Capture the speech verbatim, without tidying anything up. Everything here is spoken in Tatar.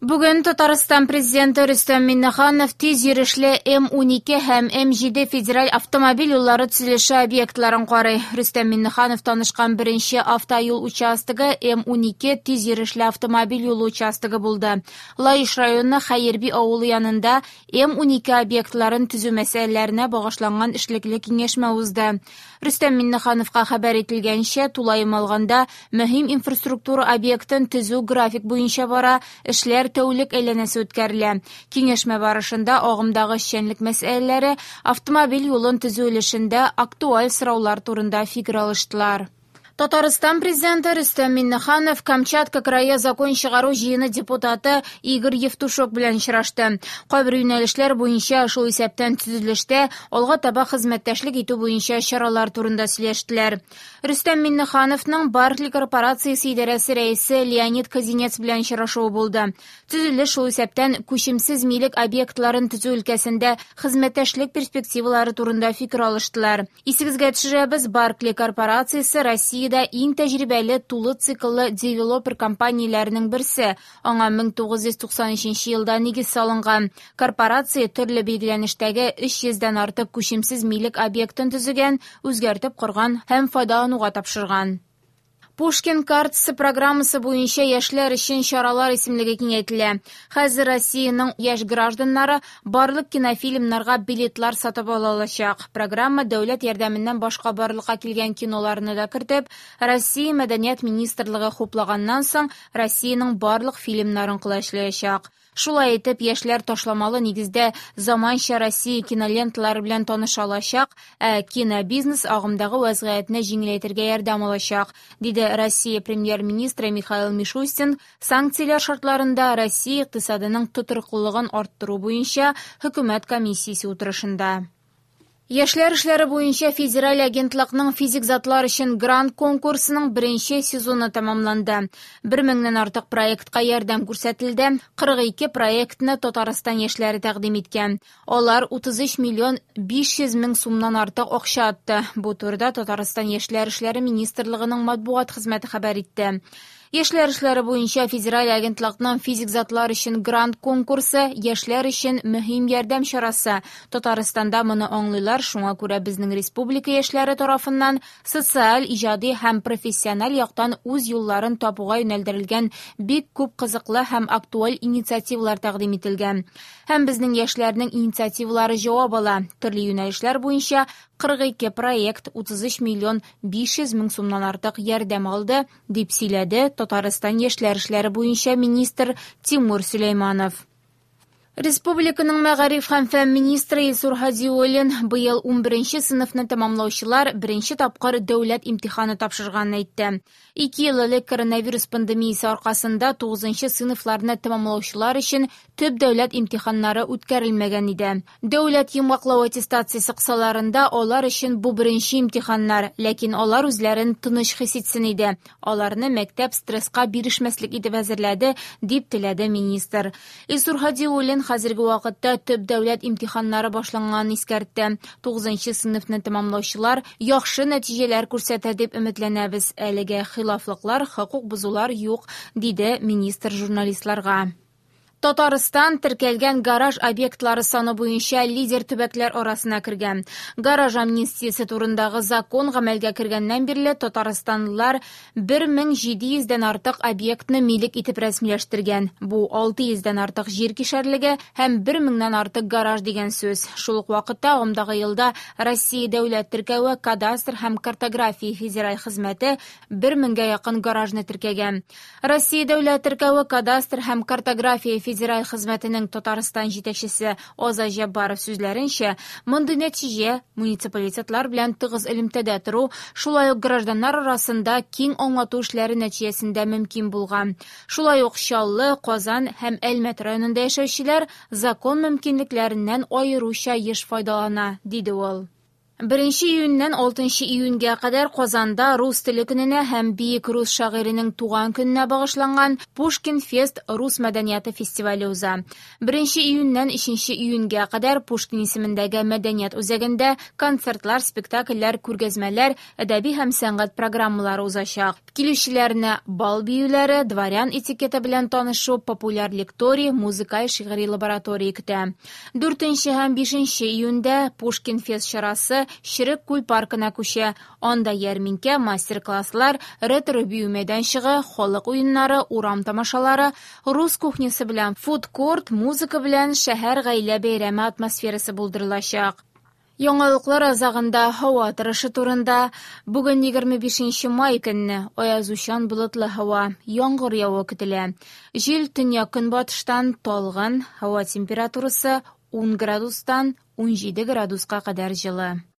Бүген Татарстан президенты Рөстәм Миңнеханов тиз йөрешле М унике һәм М җиде федераль автомобиль юллары төзелеше объектларын карый. Рөстәм Миңнеханов танышкан беренче автоюл участогы М унике тиз йөрешле автомобиль юлы участогы булды. Лаеш районы Хәерби авылы янында М унике объектларын төзү мәсьәләләренә багышланган эшлекле киңәшмә узды. Рөстәм Миңнехановка хәбәр ителгәнчә, тулаем алганда мөһим инфраструктура объектын төзү график буенча бара, эшләр тәүлек әйләнәсе үткәрелә. Киңәшмә барышында агымдагы эшчәнлек мәсьәләләре, автомобиль юлын төзү өлешендә актуаль сораулар турында фикер алыштылар. Татарстан президенты Рөстәм Миңнеханов Камчатка крае закон чыгару җыены депутаты Игорь Евтушок белән очрашты. Кайбер юнәлешләр буенча, шул исәптән төзелештә, алга таба хезмәттәшлек итү буенча чаралар турында сөйләштеләр. Рөстәм Миңнехановның Баркли корпорациясе идарәсе рәисе Леонид Казинец белән очрашуы булды. Төзелеш, шул исәптән күчемсез милек объектларын төзү өлкәсендә хезмәттәшлек перспективалары турында фикер алыштылар. Исегезгә төшерәбез, Баркли корпорациясе Россия иң тәҗрибәле тулы цикллы девелопер компанияләренең берсе. Аңа мең тугыз йөз туксан өченче елда нигез салынган. Корпорация төрле билгеләнештәге өч йөздән артык күчемсез милек объектын төзегән, үзгәртеп корган һәм файдалануга тапшырган. Пушкин картасы программасы буенча яшьләр өчен чаралар исемлеге киңәйтелә. Хәзер Россиянең яшь гражданнары барлык кинофильмнарга билетлар сатып ала алачак. Программа дәүләт ярдәменнән башка барлыкка килгән киноларны да кертеп, Россия Мәдәният министрлыгы хуплаганнан соң Россиянең барлык фильмнарын колачлаячак. Шулай итеп, яшьләр ташламалы нигездә заманча Россия киноленталары белән таныша алачак, ә кинобизнес агымдагы вазгыятьне җиңеләйтергә ярдәм алачак, диде Россия премьер-министры Михаил Мишустин санкцияләр шартларында Россия икътисадының тотрыклылыгын арттыру буенча хөкүмәт комиссиясе утырышында. Яшьләр эшләре буенча федераль агентлыкның физик затлар өчен грант конкурсының беренче сезоны тәмамланды. Бер меңнән артык проектка ярдәм күрсәтелде. Кырык ике проектны Татарстан яшьләре тәкъдим иткән. Алар утыз өч миллион биш йөз мең сумнан артык акча атты. Бу турыда Татарстан Яшьләр эшләре министрлыгының матбугат хезмәте хәбәр итте. Яшьләр эшләре буенча федераль агентлыкның физик затлар өчен грант конкурсы яшьләр өчен мөһим ярдәм чарасы. Татарстанда моны аңлыйлар, шуңа күрә безнең республика яшьләре тарафыннан социаль, иҗади һәм профессиональ яктан үз юлларын табуга юнәлдерелгән бик күп кызыклы һәм актуаль инициативалар тәкъдим ителгән. Һәм безнең яшьләрнең инициативалары җавап ала. Төрле юнәлешләр буенча кырык ике проект утыз өч миллион биш йөз мең сумнан артык ярдәм алды, дип сөйләде Татарстан яшьләр эшләре буенча министр Тимур Сөләйманов. Республиканың мәгариф һәм фән министры Илсур Һадиуллин быел унберенче сыйныфны тәмамлаучылар беренче тапкыр дәүләт имтиханы тапшырганын әйтте. Ике ел элек коронавирус пандемиясе аркасында тугызынчы сыйныфларны тәмамлаучылар өчен төп дәүләт имтиханнары үткәрелмәгән иде. Дәүләт йомгаклау аттестациясе кысаларында алар өчен бу беренче имтиханнар, ләкин алар үзләрен тыныч хис итсен иде. Аларны мәктәп стресска бирешмәслек итеп әзерләде, дип теләде министр. Илсур Һадиуллин хәзерге вакытта төп дәүләт имтиханнары башланганын искәртте. Тугызынчы сыйныфны тәмамлаучылар яхшы нәтиҗәләр күрсәтә дип өметләнәбез. Әлегә хилафлыклар, хокук бозулар юк, диде министр журналистларга. Татарстан теркәлгән гараж объектлары саны буенча лидер төбәкләр арасына кергән. Гараж амнистиясе турындагы закон гамәлгә кергәннән бирле татарстанлылар бер мең җиде йөздән артык объектны милек итеп рәсмиләштергән. Бу алты йөздән артык җир кишәрлеге һәм бер меңнән артык гараж дигән сүз. Шул ук вакытта агымдагы елда Россия дәүләт теркәве, кадастр һәм картография федераль хезмәте бер меңгә якын гаражны теркәгән. Россия дәүләт теркәве, кадастр һәм картография федераль хезмәтенең Татарстан җитәкчесе Азат Җаббаров сүзләренчә, мондый нәтиҗә муниципалитетлар белән тыгыз элемтәдә тору, шулай ук гражданнар арасында киң аңлату эшләре нәтиҗәсендә мөмкин булган. Шулай ук Чаллы, Казан һәм Әлмәт районында яшәүчеләр закон мөмкинлекләреннән аеруча еш файдалана, диде ул. Беренче июньнән алтынчы июньгә кадәр Казанда рус теле көненә һәм бөек рус шагыйренең туган көненә багышланган Пушкин Фест рус мәдәнияте фестивале уза. Беренче июньнән өченче июньгә кадәр Пушкин исемендәге мәдәният үзәгендә концертлар, спектакльләр, күргәзмәләр, әдәби һәм сәнгать программалары узачак. Килүчеләрне бал биюләре, дворян этикеты белән танышу, популяр лекторий, музыкаль шигъри лаборатория көтә. Дүртенче һәм бишенче июньдә Пушкин Фест чарасы Черек күл паркына күчә. Анда ярминкә, мастер-класслар, ретро бию мәйданчыгы, халык уеннары, урам тамашалары, рус кухнясы белән фуд-корт, музыка белән шәһәр гаилә бәйрәме атмосферасы булдырылачак. Яңалыклар азагында һава торышы турында. Бүген егерме бишенче май көнне аязучан болытлы һава, яңгыр явуы көтелә. Җил төньяк-көнбатыштан талгын, һава температурасы ун градустан унҗиде градуска кадәр җылы.